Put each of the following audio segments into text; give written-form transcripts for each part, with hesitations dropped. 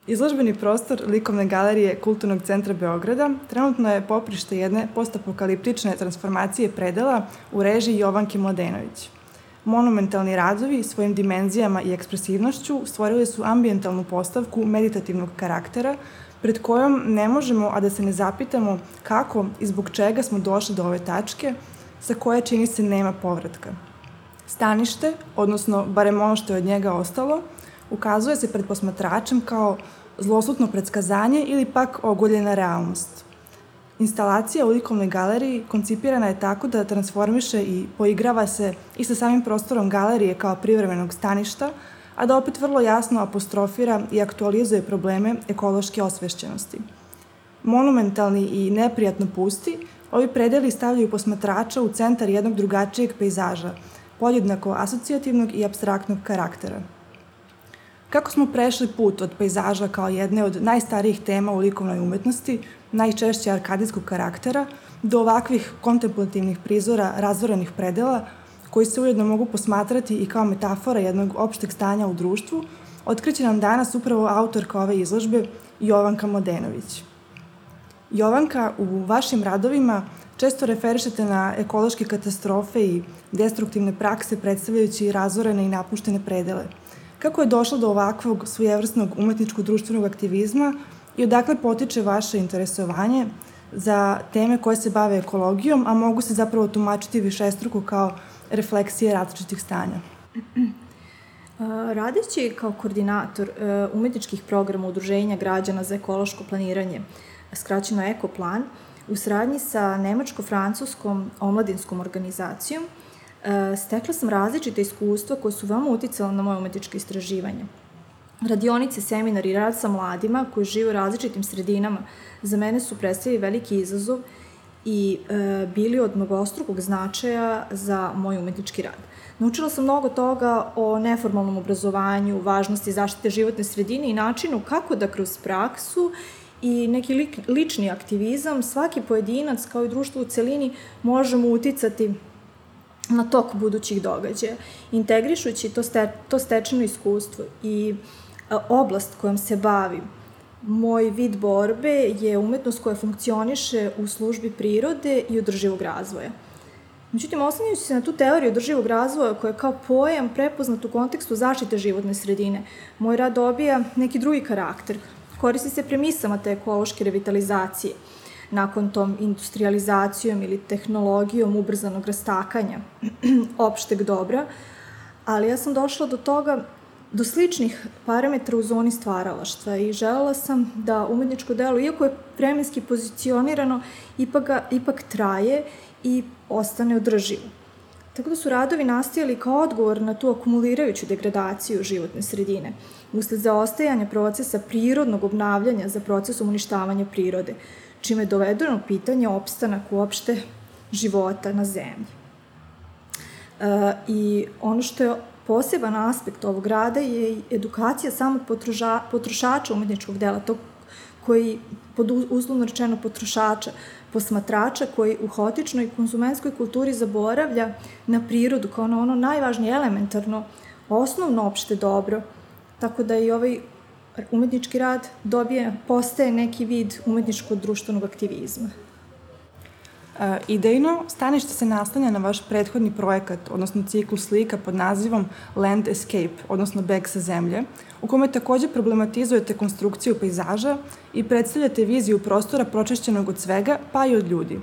Izložbeni prostor Likovne galerije Kulturnog centra Beograda trenutno je poprište jedne postapokaliptične transformacije predela u režiji Jovanke Mladenović. Monumentalni radovi svojim dimenzijama i ekspresivnošću stvorili su ambijentalnu postavku meditativnog karaktera pred kojom ne možemo, a da se ne zapitamo kako i zbog čega smo došli do ove tačke sa koje čini se nema povratka. Stanište, odnosno barem ono što je od njega ostalo, ukazuje se pred posmatračem kao zloslutno predskazanje ili pak ogoljena realnost. Instalacija u Likovnoj galeriji koncipirana je tako da transformiše i poigrava se i sa samim prostorom galerije kao privremenog staništa, a da opet vrlo jasno apostrofira i aktualizuje probleme ekološke osvešćenosti. Monumentalni i neprijatno pusti, ovi predeli stavljaju posmatrača u centar jednog drugačijeg pejzaža, podjednako asocijativnog i apstraktnog karaktera. Kako smo prešli put od pejzaža kao jedne od najstarijih tema u likovnoj umetnosti, najčešće arkadijskog karaktera, do ovakvih kontemplativnih prizora razvorenih predela, koji se ujedno mogu posmatrati i kao metafora jednog opšteg stanja u društvu, otkriće nam danas upravo autorka ove izložbe, Jovanka Mladenović. Jovanka, u vašim radovima često referišete na ekološke katastrofe i destruktivne prakse predstavljajući razvorene i napuštene predele. Kako je došlo do ovakvog svojevrsnog umetničko-društvenog aktivizma i odakle potiče vaše interesovanje za teme koje se bave ekologijom, a mogu se zapravo tumačiti višestruko kao refleksije različitih stanja? Radeći kao koordinator umetničkih programa Udruženja građana za ekološko planiranje, skraćeno Ekoplan, u saradnji sa nemačko-francuskom omladinskom organizacijom, stekla sam različite iskustva koje su veoma uticala na moje umetničke istraživanje. Radionice, seminari i rad sa mladima koji žive u različitim sredinama za mene su predstavili veliki izazov i bili od mnogostrukog značaja za moj umetnički rad. Naučila sam mnogo toga o neformalnom obrazovanju, važnosti zaštite životne sredine i načinu kako da kroz praksu i neki lični aktivizam svaki pojedinac kao i društvo u celini možemo uticati na tok budućih događaja. Integrišući to stečeno iskustvo i oblast kojom se bavim, moj vid borbe je umetnost koja funkcioniše u službi prirode i održivog razvoja. Međutim, oslanjajući se na tu teoriju održivog razvoja koja je kao pojam prepoznat u kontekstu zaštite životne sredine, moj rad dobija neki drugi karakter. Koristi se premisama te ekološke revitalizacije, nakon tom industrializacijom ili tehnologijom ubrzanog rastakanja opšteg dobra, ali ja sam došla do toga, do sličnih parametra u zoni stvaralaštva i želela sam da umetničko delo, iako je vremenski pozicionirano, ipak traje i ostane održivo. Tako da su radovi nastajali kao odgovor na tu akumulirajuću degradaciju životne sredine, usled zaostajanja procesa prirodnog obnavljanja za procesom uništavanja prirode, čime je dovedeno pitanje opstanak uopšte života na zemlji. I ono što je poseban aspekt ovog rada je edukacija samog potrošača umetničkog dela, tog koji, pod uslovno rečeno potrošača, posmatrača koji u haotičnoj konzumentskoj kulturi zaboravlja na prirodu kao na ono najvažnije elementarno, osnovno opšte dobro, tako da i ovaj umetnički rad postaje neki vid umetničko-društvenog aktivizma. Idejno, stanište se naslanja na vaš prethodni projekat, odnosno ciklus slika pod nazivom Land Escape, odnosno Beg sa zemlje, u kome takođe problematizujete konstrukciju pejzaža i predstavljate viziju prostora pročišćenog od svega, pa i od ljudi.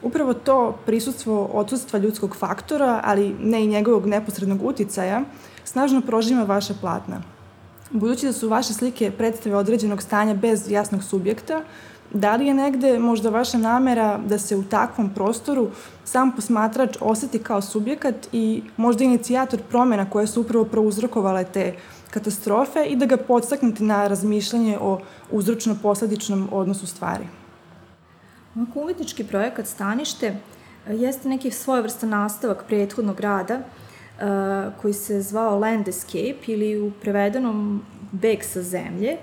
Upravo to prisustvo odsustva ljudskog faktora, ali ne i njegovog neposrednog uticaja, snažno prožima vaša platna. Budući da su vaše slike predstave određenog stanja bez jasnog subjekta, da li je negde možda vaša namera da se u takvom prostoru sam posmatrač oseti kao subjekat i možda inicijator promena koje su upravo prouzrokovale te katastrofe i da ga podstaknete na razmišljanje o uzročno-posledičnom odnosu stvari? Ovako umetnički projekat Stanište jeste neki svojevrstan nastavak prethodnog rada koji se zvao Land Escape ili u prevedenom Beg sa zemlje.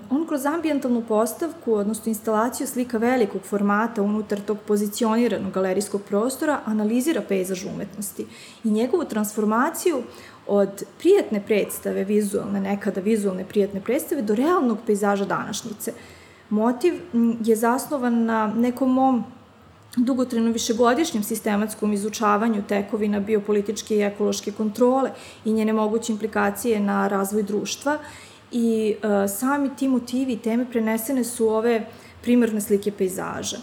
On kroz ambijentalnu postavku, odnosno instalaciju slika velikog formata unutar tog pozicioniranog galerijskog prostora, analizira pejzaž umetnosti i njegovu transformaciju od prijatne predstave, vizualne, nekada vizualne prijatne predstave, do realnog pejzaža današnjice. Motiv je zasnovan na nekom mom dugotrajno višegodišnjem sistematskom izučavanju tekovina biopolitičke i ekološke kontrole i njene moguće implikacije na razvoj društva i sami ti motivi i teme prenesene su u ove primarne slike pejzaža.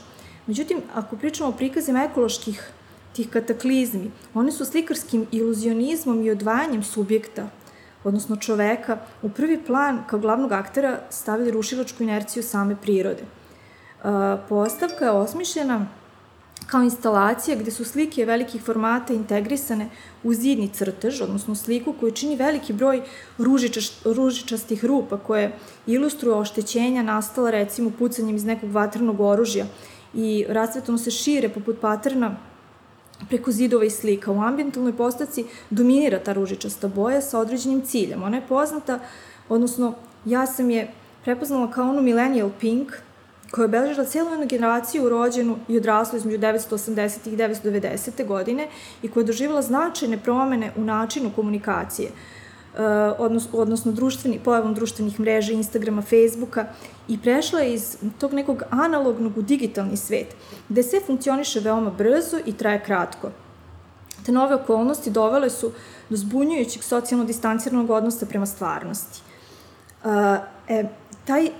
Međutim, ako pričamo o prikazima ekoloških tih kataklizmi, one su slikarskim iluzionizmom i odvajanjem subjekta, odnosno čoveka, u prvi plan kao glavnog aktera stavili rušilačku inerciju same prirode. Postavka je osmišljena kao instalacija gde su slike velikih formata integrisane u zidni crtež, odnosno sliku koju čini veliki broj ružičastih rupa koje ilustruju oštećenja nastala recimo pucanjem iz nekog vatrenog oružja i rasvetno se šire poput paterna preko zidova i slika. U ambijentalnoj postavci dominira ta ružičasta boja sa određenim ciljem. Ona je poznata, odnosno ja sam je prepoznala kao onu millennial pink, koja je obeležila cijelu jednu generaciju rođenu i odraslu između 1980. i 1990. godine i koja je doživjela značajne promene u načinu komunikacije, odnosno pojavom društvenih mreža, Instagrama, Facebooka i prešla je iz tog nekog analognog u digitalni svet, gde sve funkcioniše veoma brzo i traje kratko. Te nove okolnosti dovele su do zbunjujućeg socijalno distanciranog odnosa prema stvarnosti.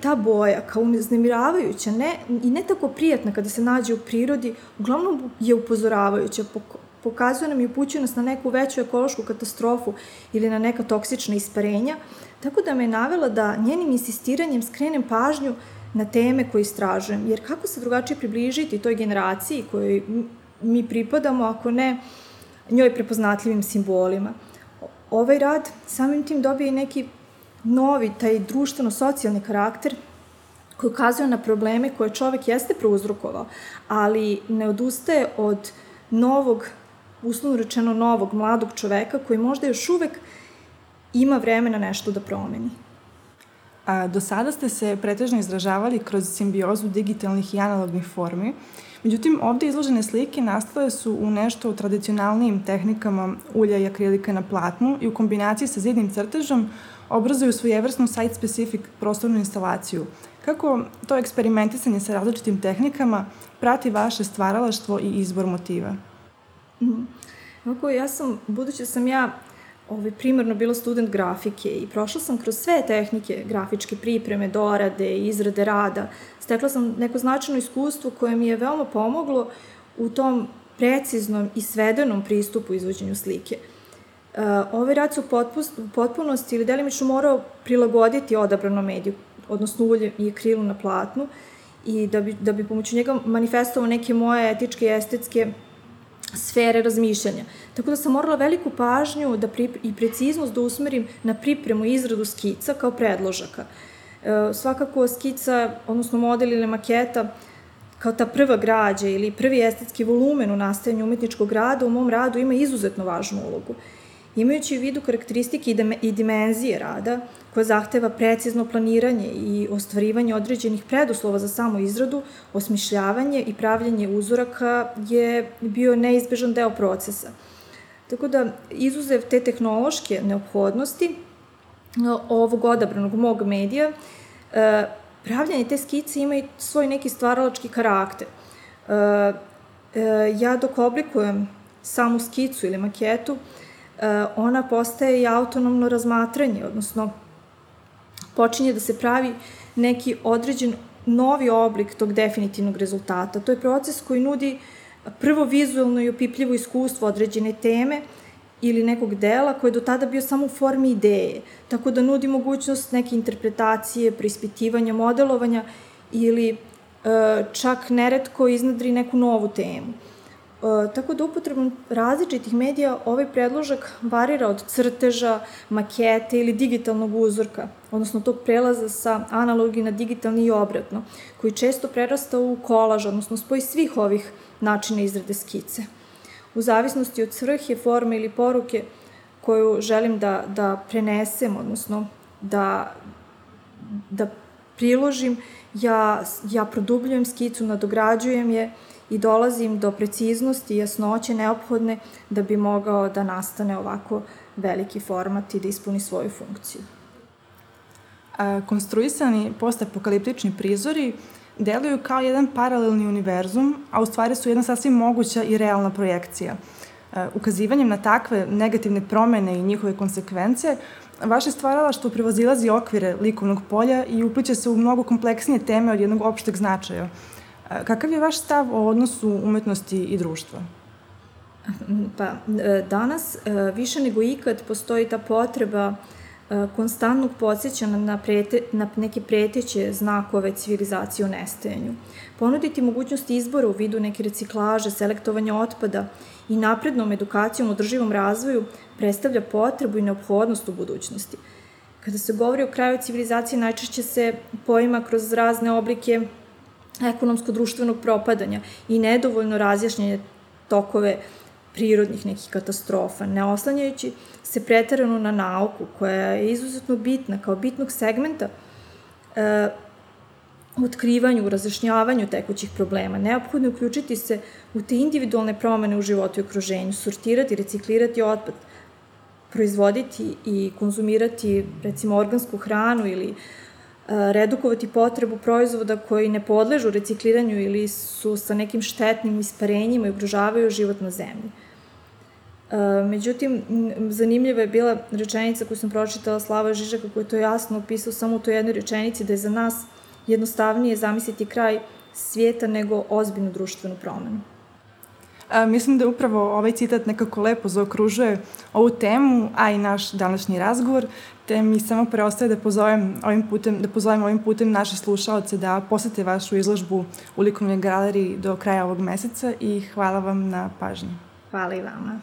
Ta boja, kao uznemiravajuća i ne tako prijatna kada se nađe u prirodi, uglavnom je upozoravajuća, pokazuje nam i upućuje nas na neku veću ekološku katastrofu ili na neka toksična isparenja, tako da me je navela da njenim insistiranjem skrenem pažnju na teme koje istražujem, jer kako se drugačije približiti toj generaciji kojoj mi pripadamo, ako ne njoj prepoznatljivim simbolima. Ovaj rad samim tim dobije i neki novi, taj društveno-socijalni karakter koji ukazuje na probleme koje čovek jeste prouzrokovao, ali ne odustaje od novog, uslovno rečeno novog, mladog čoveka koji možda još uvek ima vremena nešto da promeni. Do sada ste se pretežno izražavali kroz simbiozu digitalnih i analognih formi, međutim, ovde izložene slike nastale su u nešto tradicionalnijim tehnikama ulja i akrilika na platnu i u kombinaciji sa zidnim crtežom obrazuju svojevrsnu site-specific prostornu instalaciju. Kako to eksperimentisanje sa različitim tehnikama prati vaše stvaralaštvo i izbor motiva? Budući da sam ja primarno bila student grafike i prošla sam kroz sve tehnike grafičke pripreme, dorade i izrade rada, stekla sam neko značajno iskustvo koje mi je veoma pomoglo u tom preciznom i svedenom pristupu izvođenju slike. Ovaj rad se u potpunosti ili delimično morao prilagoditi odabranom mediju, odnosno ulju i akrilu na platnu, i da bi pomoću njega manifestovao neke moje etičke i estetske sfere razmišljanja. Tako da sam morala veliku pažnju i preciznost da usmerim na pripremu i izradu skica kao predložaka. Svakako skica, odnosno model ili maketa, kao ta prva građa ili prvi estetski volumen u nastajanju umetničkog rada u mom radu ima izuzetno važnu ulogu. Imajući u vidu karakteristike i dimenzije rada, koja zahteva precizno planiranje i ostvarivanje određenih preduslova za samu izradu, osmišljavanje i pravljenje uzoraka je bio neizbežan deo procesa. Tako da, izuzev te tehnološke neophodnosti ovog odabranog mog medija, pravljanje te skice ima i svoj neki stvaralački karakter. Ja dok oblikujem samu skicu ili maketu, ona postaje i autonomno razmatranje, odnosno počinje da se pravi neki određen novi oblik tog definitivnog rezultata. To je proces koji nudi prvo vizualno i opipljivo iskustvo određene teme ili nekog dela koji je do tada bio samo u formi ideje, tako da nudi mogućnost neke interpretacije, preispitivanja, modelovanja ili čak neretko iznadri neku novu temu. Tako da upotrebom različitih medija ovaj predložak varira od crteža, makete ili digitalnog uzorka, odnosno tog prelaza sa analogi na digitalni i obratno, koji često prerasta u kolaž, odnosno spoj svih ovih načina izrade skice. U zavisnosti od svrhe, forme ili poruke koju želim da prenesem, odnosno da priložim, ja produbljujem skicu, nadograđujem je i dolazim do preciznosti i jasnoće neophodne da bi mogao da nastane ovako veliki format i da ispuni svoju funkciju. Konstruisani postapokaliptični prizori deluju kao jedan paralelni univerzum, a u stvari su jedna sasvim moguća i realna projekcija. Ukazivanjem na takve negativne promene i njihove konsekvence, vaše stvaralaštvo prevazilazi okvire likovnog polja i upliće se u mnogo kompleksnije teme od jednog opšteg značaja. Kakav je vaš stav o odnosu umetnosti i društva? Danas više nego ikad postoji ta potreba konstantnog podsjećanja na neke preteće znakove civilizacije u nestajanju. Ponuditi mogućnost izbora u vidu neke reciklaže, selektovanja otpada i naprednom edukacijom o održivom razvoju predstavlja potrebu i neophodnost u budućnosti. Kada se govori o kraju civilizacije, najčešće se poima kroz razne oblike ekonomsko-društvenog propadanja i nedovoljno razjašnjenje tokove prirodnih nekih katastrofa, ne oslanjajući se preterano na nauku, koja je izuzetno bitna, kao bitnog segmenta u otkrivanju, u razjašnjavanju tekućih problema. Neophodno je uključiti se u te individualne promene u životu i okruženju, sortirati, reciklirati otpad, proizvoditi i konzumirati, recimo, organsku hranu ili redukovati potrebu proizvoda koji ne podležu recikliranju ili su sa nekim štetnim isparenjima i ugrožavaju život na zemlji. Međutim, zanimljiva je bila rečenica koju sam pročitala Slavoja Žižeka, koji je to jasno opisao samo u toj jednoj rečenici, da je za nas jednostavnije zamisliti kraj svijeta nego ozbiljnu društvenu promenu. Mislim da upravo ovaj citat nekako lepo zaokružuje ovu temu, a i naš današnji razgovor, te mi samo preostaje da pozovem ovim putem naše slušaoce da posete vašu izložbu u likovnoj galeriji do kraja ovog meseca i hvala vam na pažnji. Hvala i vama.